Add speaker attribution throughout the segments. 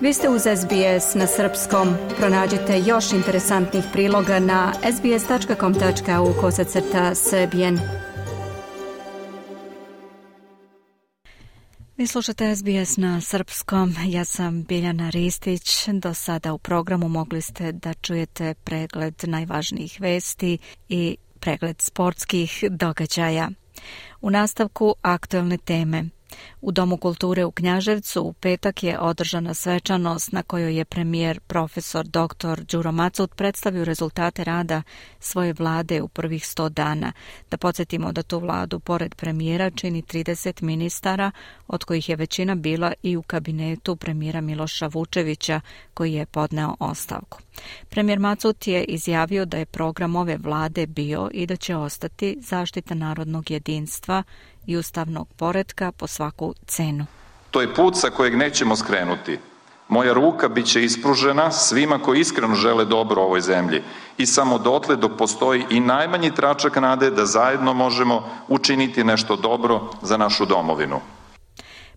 Speaker 1: Vi ste uz SBS na srpskom. Pronađite još interesantnih priloga na sbs.com.au/srbijen. Vi slušate SBS na srpskom. Ja sam Biljana Ristić. Do sada u programu mogli ste da čujete pregled najvažnijih vesti i pregled sportskih događaja. U nastavku aktuelne teme. U Domu kulture u Knjaževcu u petak je održana svečanost na kojoj je premijer profesor dr. Đuro Macut predstavio rezultate rada svoje vlade u prvih 100 dana. Da podsjetimo da tu vladu pored premijera čini 30 ministara, od kojih je većina bila i u kabinetu premijera Miloša Vučevića, koji je podneo ostavku. Premijer Macut je izjavio da je program ove vlade bio i da će ostati zaštita narodnog jedinstva i ustavnog poretka po svaku cenu.
Speaker 2: To je put sa kojeg nećemo skrenuti. Moja ruka bit će ispružena svima koji iskreno žele dobro ovoj zemlji i samo dotle dok postoji i najmanji tračak nade da zajedno možemo učiniti nešto dobro za našu domovinu.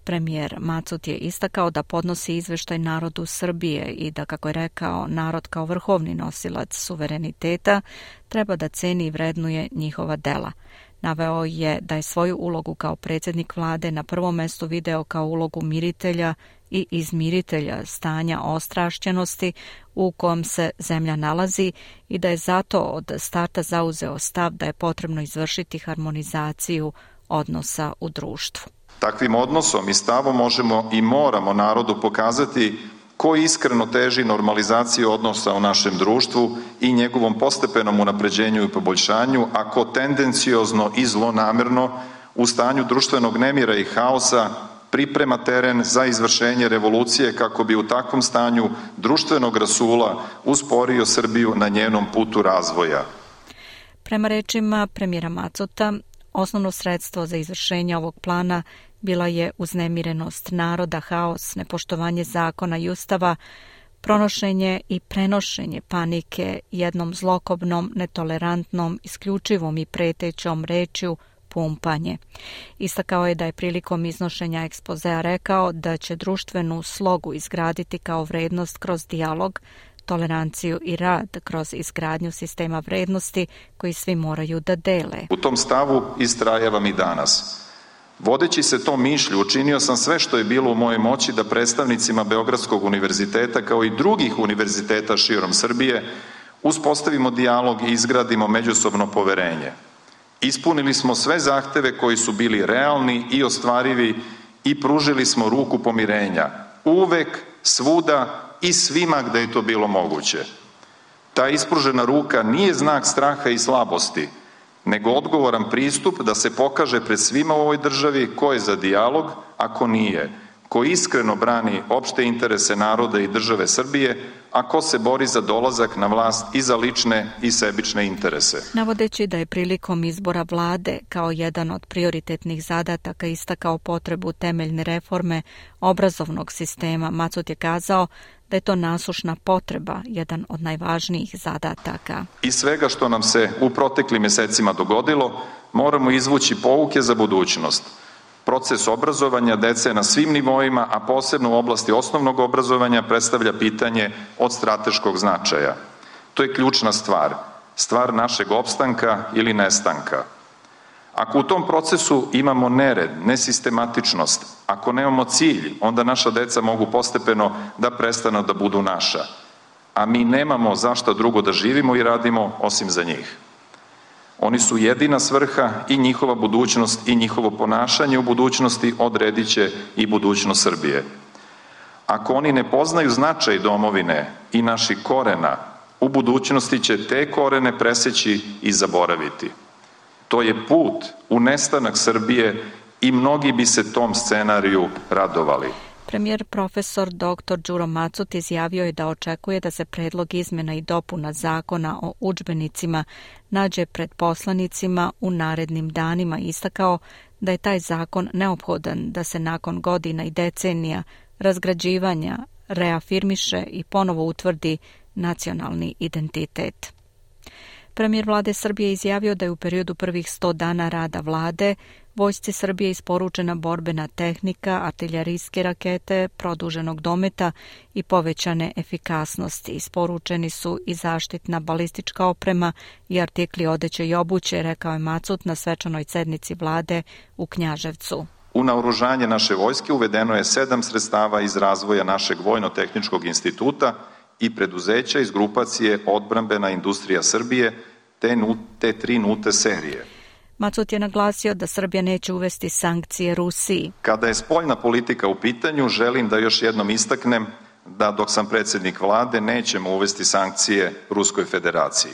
Speaker 1: Premijer Macut je istakao da podnosi izveštaj narodu Srbije i da, kako je rekao, narod kao vrhovni nosilac suvereniteta treba da ceni i vrednuje njihova dela. Naveo je da je svoju ulogu kao predsjednik vlade na prvom mestu video kao ulogu miritelja i izmiritelja stanja ostrašćenosti u kom se zemlja nalazi i da je zato od starta zauzeo stav da je potrebno izvršiti harmonizaciju odnosa u društvu.
Speaker 2: Takvim odnosom i stavom možemo i moramo narodu pokazati ko iskreno teži normalizaciji odnosa u našem društvu i njegovom postepenom unapređenju i poboljšanju, a ko tendenciozno i zlonamerno u stanju društvenog nemira i haosa priprema teren za izvršenje revolucije kako bi u takvom stanju društvenog rasula usporio Srbiju na njenom putu razvoja.
Speaker 1: Prema rečima premijera Macuta, osnovno sredstvo za izvršenje ovog plana bila je uznemirenost naroda, haos, nepoštovanje zakona i ustava, pronošenje i prenošenje panike jednom zlokobnom, netolerantnom, isključivom i pretećom rečju pumpanje. Istakao je da je prilikom iznošenja ekspozea rekao da će društvenu slogu izgraditi kao vrednost kroz dijalog, toleranciju i rad kroz izgradnju sistema vrednosti koji svi moraju da dele.
Speaker 2: U tom stavu istrajavam i danas. Vodeći se tom mišlju, učinio sam sve što je bilo u mojoj moći da predstavnicima Beogradskog univerziteta kao i drugih univerziteta širom Srbije uspostavimo dijalog i izgradimo međusobno poverenje. Ispunili smo sve zahteve koji su bili realni i ostvarivi i pružili smo ruku pomirenja. Uvek, svuda i svima gde je to bilo moguće. Ta ispružena ruka nije znak straha i slabosti, nego odgovoran pristup da se pokaže pred svima u ovoj državi ko je za dijalog, a ko nije, ko iskreno brani opšte interese naroda i države Srbije, a ko se bori za dolazak na vlast i za lične i sebične interese.
Speaker 1: Navodeći da je prilikom izbora vlade kao jedan od prioritetnih zadataka istakao potrebu temeljne reforme obrazovnog sistema, Macut je kazao da je to nasušna potreba, jedan od najvažnijih zadataka.
Speaker 2: Iz svega što nam se u proteklim mjesecima dogodilo, moramo izvući pouke za budućnost. Proces obrazovanja dece na svim nivoima, a posebno u oblasti osnovnog obrazovanja, predstavlja pitanje od strateškog značaja. To je ključna stvar našeg opstanka ili nestanka. Ako u tom procesu imamo nered, nesistematičnost, ako nemamo cilj, onda naša deca mogu postepeno da prestanu da budu naša, a mi nemamo zašto drugo da živimo i radimo osim za njih. Oni su jedina svrha i njihova budućnost i njihovo ponašanje u budućnosti odredit će i budućnost Srbije. Ako oni ne poznaju značaj domovine i naših korena, u budućnosti će te korene preseći i zaboraviti. To je put u nestanak Srbije i mnogi bi se tom scenariju radovali.
Speaker 1: Premijer profesor dr. Đuro Macut izjavio je da očekuje da se predlog izmjena i dopuna zakona o udžbenicima nađe pred poslanicima u narednim danima i istakao da je taj zakon neophodan da se nakon godina i decenija razgrađivanja reafirmiše i ponovo utvrdi nacionalni identitet. Premijer vlade Srbije izjavio da je u periodu prvih 100 dana rada vlade vojsci Srbije isporučena borbena tehnika, artiljerijske rakete, produženog dometa i povećane efikasnosti. Isporučeni su i zaštitna balistička oprema i artikli odeće i obuće, rekao je Macut na svečanoj sednici vlade u Knjaževcu.
Speaker 2: U naoružanje naše vojske uvedeno je 7 sredstava iz razvoja našeg Vojno-tehničkog instituta i preduzeća iz grupacije Odbrambena industrija Srbije te 3 nute serije.
Speaker 1: Macut je naglasio da Srbija neće uvesti sankcije Rusiji.
Speaker 2: Kada je spoljna politika u pitanju, želim da još jednom istaknem da dok sam predsjednik vlade nećemo uvesti sankcije Ruskoj federaciji.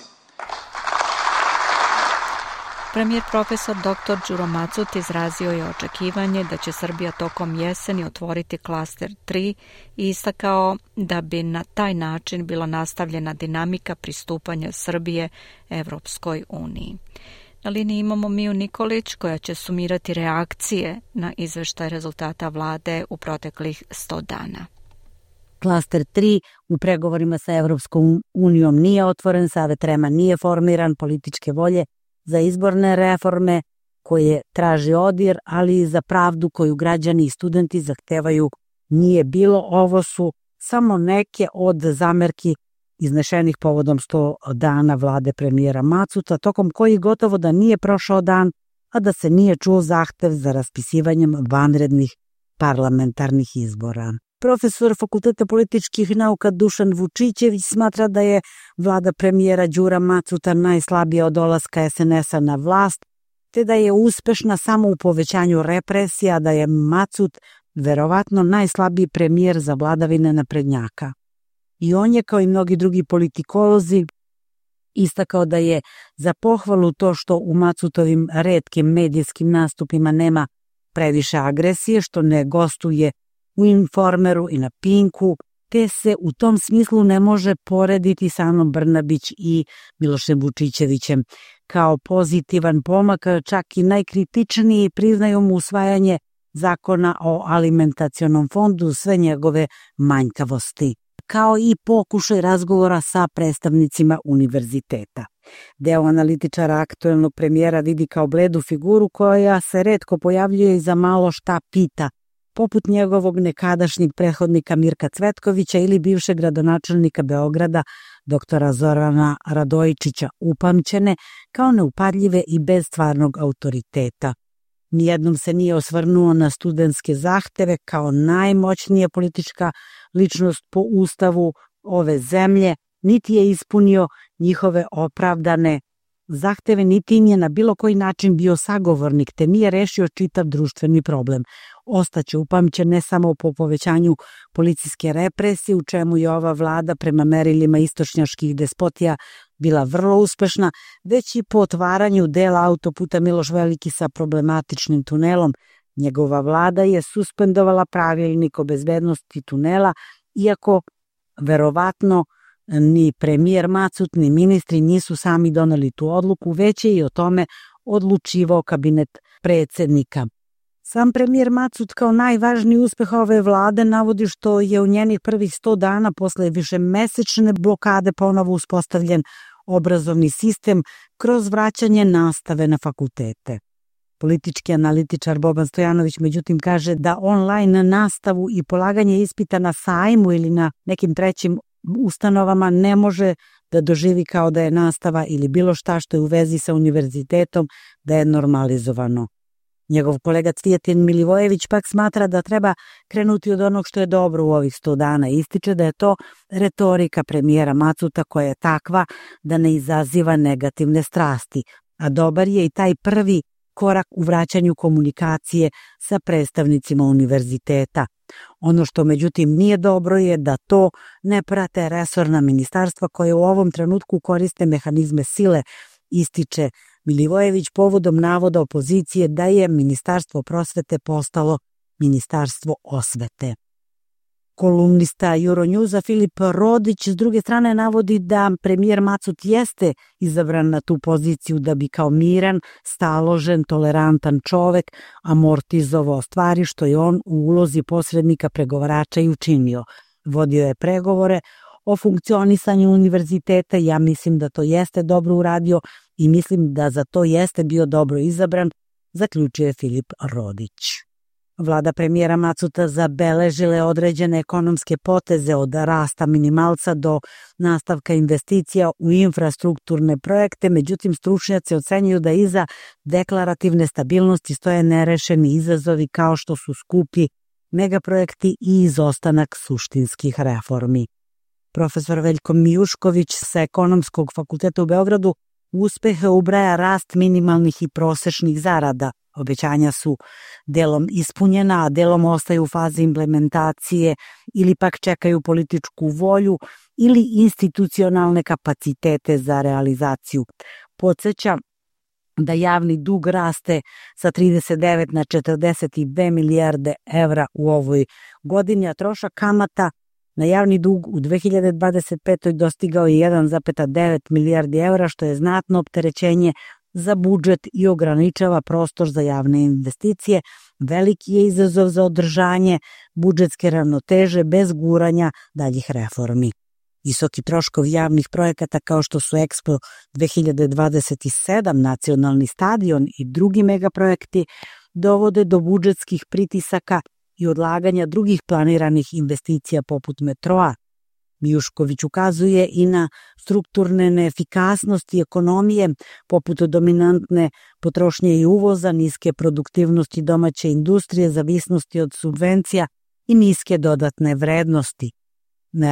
Speaker 1: Premijer profesor dr. Đuro Macut izrazio je očekivanje da će Srbija tokom jeseni otvoriti klaster 3 i istakao da bi na taj način bila nastavljena dinamika pristupanja Srbije Evropskoj uniji. Na liniji imamo Miju Nikolić koja će sumirati reakcije na izveštaj rezultata vlade u proteklih 100 dana.
Speaker 3: Klaster 3 u pregovorima sa Evropskom unijom nije otvoren, Savet REM-a nije formiran, političke volje za izborne reforme koje traži ODIR, ali i za pravdu koju građani i studenti zahtevaju nije bilo. Ovo su samo neke od zamerki iznešenih povodom 100 dana vlade premijera Macuta, tokom kojih gotovo da nije prošao dan, a da se nije čuo zahtev za raspisivanjem vanrednih parlamentarnih izbora. Profesor Fakulteta političkih nauka Dušan Vučićević smatra da je vlada premijera Đura Macuta najslabija od dolaska SNS-a na vlast, te da je uspešna samo u povećanju represija, da je Macut verovatno najslabiji premijer za vladavine naprednjaka. I on je, kao i mnogi drugi politikolozi, istakao da je za pohvalu to što u Macutovim retkim medijskim nastupima nema previše agresije, što ne gostuje u Informeru i na Pinku, te se u tom smislu ne može porediti sa Anom Brnabić i Milošem Vučićevićem. Kao pozitivan pomak, čak i najkritičniji priznaju mu usvajanje zakona o alimentacionom fondu, sve njegove manjkavosti, kao i pokušaj razgovora sa predstavnicima univerziteta. Deo analitičara aktuelnog premijera vidi kao bledu figuru koja se retko pojavljuje i za malo šta pita, poput njegovog nekadašnjeg prethodnika Mirka Cvetkovića ili bivšeg gradonačelnika Beograda doktora Zorana Radojičića, upamćene kao neupadljive i bez stvarnog autoriteta. Nijednom se nije osvrnuo na studentske zahteve kao najmoćnija politička ličnost po ustavu ove zemlje, niti je ispunio njihove opravdane zahteve, niti im je na bilo koji način bio sagovornik, te nije rešio čitav društveni problem. Ostaće upamćen ne samo po povećanju policijske represije, u čemu je ova vlada prema merilima istočnjačkih despotija bila vrlo uspešna, već i po otvaranju dela autoputa Miloš Veliki sa problematičnim tunelom. Njegova vlada je suspendovala pravilnik o bezbednosti tunela, iako verovatno ni premijer Macut ni ministri nisu sami doneli tu odluku, već je i o tome odlučivao kabinet predsjednika. Sam premijer Macut kao najvažniji uspeh ove vlade navodi što je u njenih prvih 100 dana posle višemesečne blokade ponovo uspostavljen obrazovni sistem kroz vraćanje nastave na fakultete. Politički analitičar Boban Stojanović međutim kaže da online nastavu i polaganje ispita na sajmu ili na nekim trećim ustanovama ne može da doživi kao da je nastava ili bilo šta što je u vezi sa univerzitetom da je normalizovano. Njegov kolega Cvijetin Milivojević pak smatra da treba krenuti od onog što je dobro u ovih 100 dana. Ističe da je to retorika premijera Macuta koja je takva da ne izaziva negativne strasti, a dobar je i taj prvi korak u vraćanju komunikacije sa predstavnicima univerziteta. Ono što međutim nije dobro je da to ne prate resorna ministarstva koje u ovom trenutku koriste mehanizme sile, ističe Milivojević povodom navoda opozicije da je Ministarstvo prosvete postalo Ministarstvo osvete. Kolumnista Euronewsa Filip Rodić s druge strane navodi da premijer Macut jeste izabran na tu poziciju da bi kao miran, staložen, tolerantan čovek amortizovao stvari što je on u ulozi posrednika pregovarača i učinio. Vodio je pregovore o funkcionisanju univerziteta. Ja mislim da to jeste dobro uradio i mislim da za to jeste bio dobro izabran, zaključuje Filip Rodić. Vlada premijera Macuta zabeležile određene ekonomske poteze od rasta minimalca do nastavka investicija u infrastrukturne projekte, međutim stručnjaci ocenjuju da iza deklarativne stabilnosti stoje nerešeni izazovi kao što su skupi megaprojekti i izostanak suštinskih reformi. Profesor Veljko Mijušković sa Ekonomskog fakulteta u Beogradu uspehe ubraja rast minimalnih i prosečnih zarada. Obećanja su delom ispunjena, a delom ostaju u fazi implementacije ili pak čekaju političku volju ili institucionalne kapacitete za realizaciju. Podsjeća da javni dug raste sa 39 na 42 milijarde evra u ovoj godini, a trošak kamata na javni dug u 2025. dostigao je 1,9 milijardi evra, što je znatno opterećenje za budžet i ograničava prostor za javne investicije. Veliki je izazov za održanje budžetske ravnoteže bez guranja daljih reformi. Visoki troškovi javnih projekata kao što su Expo 2027, nacionalni stadion i drugi megaprojekti dovode do budžetskih pritisaka i odlaganja drugih planiranih investicija poput metroa. Mijušković ukazuje i na strukturne neefikasnosti ekonomije, poput dominantne potrošnje i uvoza, niske produktivnosti domaće industrije, zavisnosti od subvencija i niske dodatne vrednosti.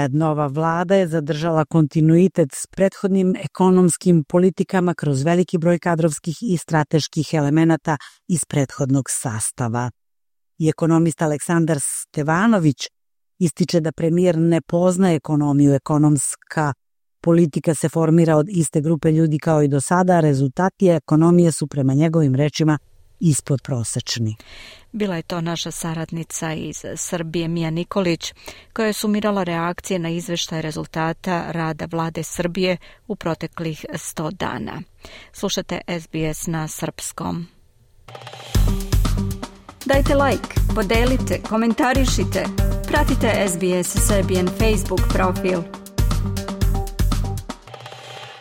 Speaker 3: Nova vlada je zadržala kontinuitet s prethodnim ekonomskim politikama kroz veliki broj kadrovskih i strateških elemenata iz prethodnog sastava. I ekonomista Aleksandar Stevanović ističe da premijer ne poznaje ekonomiju. Ekonomska politika se formira od iste grupe ljudi kao i do sada, a rezultati ekonomije su prema njegovim rečima ispod prosečni.
Speaker 1: Bila je to naša saradnica iz Srbije Mija Nikolić, koja je sumirala reakcije na izveštaj rezultata rada vlade Srbije u proteklih 100 dana. Slušate SBS na srpskom. Dajte like, podelite, komentarišite. Pratite SBS Serbian Facebook profil.